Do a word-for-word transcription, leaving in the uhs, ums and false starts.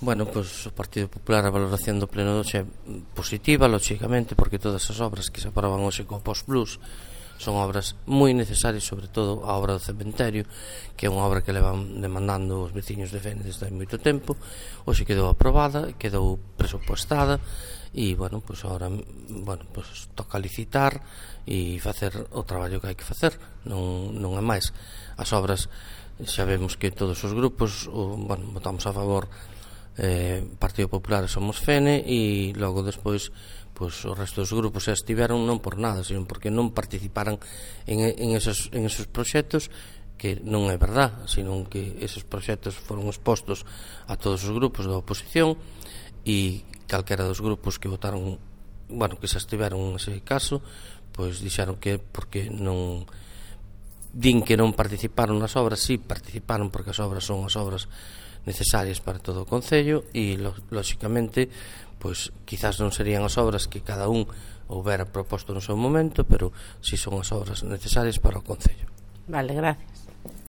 Bueno, pois o Partido Popular, a valoración do pleno de hoxe é positiva, lógicamente, porque todas as obras que se aproban hoxe co Post Plus son obras moi necesarias, sobre todo a obra do cementerio, que é unha obra que levan demandando os veciños de Fene desde hai moito tempo. Hoxe quedou aprobada, quedou presupuestada e, bueno, pois agora, bueno, pois toca licitar e facer o traballo que hai que facer, non, non é máis. As obras, xa vemos que todos os grupos, o, bueno, votamos a favor eh, Partido Popular e Somos Fene, e logo despois pois o resto dos grupos xa estiveron non por nada, sino porque non participaran en, en, esos, en esos proxectos, que non é verdad, sino que esos proxectos foron expostos a todos os grupos da oposición, e calquera dos grupos que votaron, bueno, que xa estiveron nese caso, pois dixeron que porque non din que non participaron nas obras. Si, participaron, porque as obras son as obras necesarias para todo o Concello, e lóxicamente pois quizás non serían as obras que cada un houbera proposto no seu momento, pero si son as obras necesarias para o Concello. Vale, gracias.